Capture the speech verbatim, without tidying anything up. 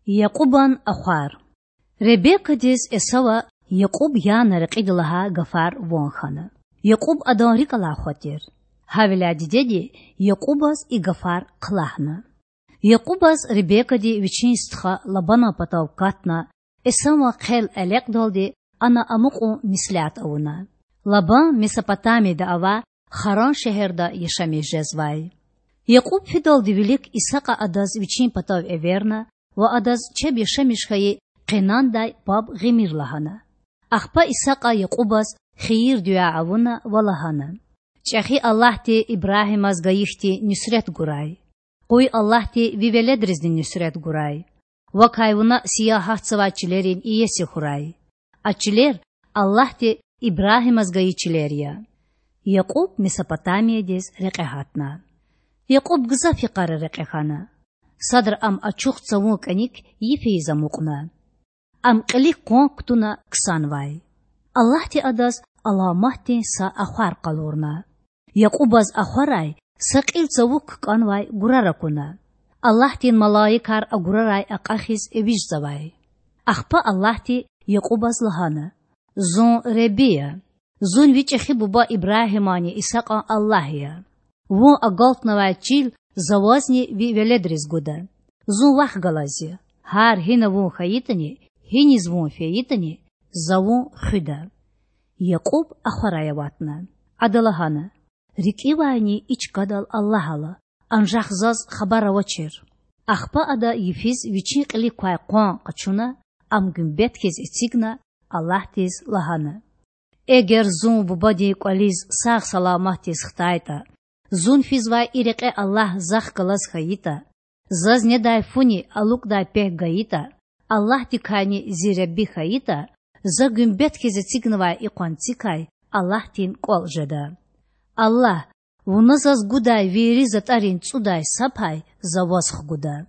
Якьубан ахвар. Ребекадиз Эсава Якьуб яна рекьида лагьай гафар ван хьана. Якьуб адан рикІ алай хва тир. Гьавиляй дидеди Якьубаз и гафар хълагьна. Якьубаз Ребекади вичин стха Лабанан патав катна, Эсаван хъел элекьдалди ана амукьун меслят авуна. Лабан Месопотамияда авай Харан шегьерда яшамиш жезвай. Якьуб фидалди вилик Исакьа адаз вичин патав эверна ва адаз чеб яшамиш хьайи Къенандай паб гъимир лагьана. Ахпа Исакьа Якьубаз хийир-дуьа авуна ва лагьана: ЧІехи Аллагьди Ибрагьимаз гайи хьтин нуьсрет гурай. Къуй Аллагьди ви веледризни нуьсрет гурай. Вакай вуна сиягь гьатзавай чилерин иеси хьурай. А чилер Аллагьди Ибрагьимаз гайи чилер я. Якьуб Месопотамиядиз рекье гьатна. Якьуб гзаф йикъара рекье хьана. Садра ам ачух цавун кІаник йиф ийиз амукьна. Ам кьилик къван кутуна ксанвай. Аллагьди адаз аламатдин са ахвар къалурна. Якьубаз ахварай са кьил цавук кІанвай гурар акуна. Аллагьдин малаикар а гурарай акьахиз эвичІзавай. Ахпа Аллагьди Якьубаз лагьана: Зун Худа я. Зун ви чІехи буба Ибрагьиманни Исакьан Аллагь я. Вун агалтнавай чил За вазни ви веледриз гуда. Зун Вахъ галаз я. Гьар гьина вун хьайитІани, гьиниз вун фейитІани, За вун хуьда. Якьуб ахварай аватна. Ада лагьана: РикІивайни и чкадал Аллагь ала, анжах заз хабар авачир. Ахпа ада йифиз вичин кьилик квай къван къачуна, ам гуьмбет хьиз эцигна, Аллагьдиз лагьана: Эгер зун бубадин кІвализ сагъ-саламатдиз хтайтІа, зун физвай и рекье Аллагь Захъ галаз хьайитІа, заз недай фуни алукІдай пек гайитІа, Аллагьдикайни зи Худа хьайитІа, за гуьмбет хьиз эцигнавай и къванцикай Аллагьдин кІвал жеда. Аллагь, Вуна заз гудай вири затІарин цІудай са пай За ваз хгуда.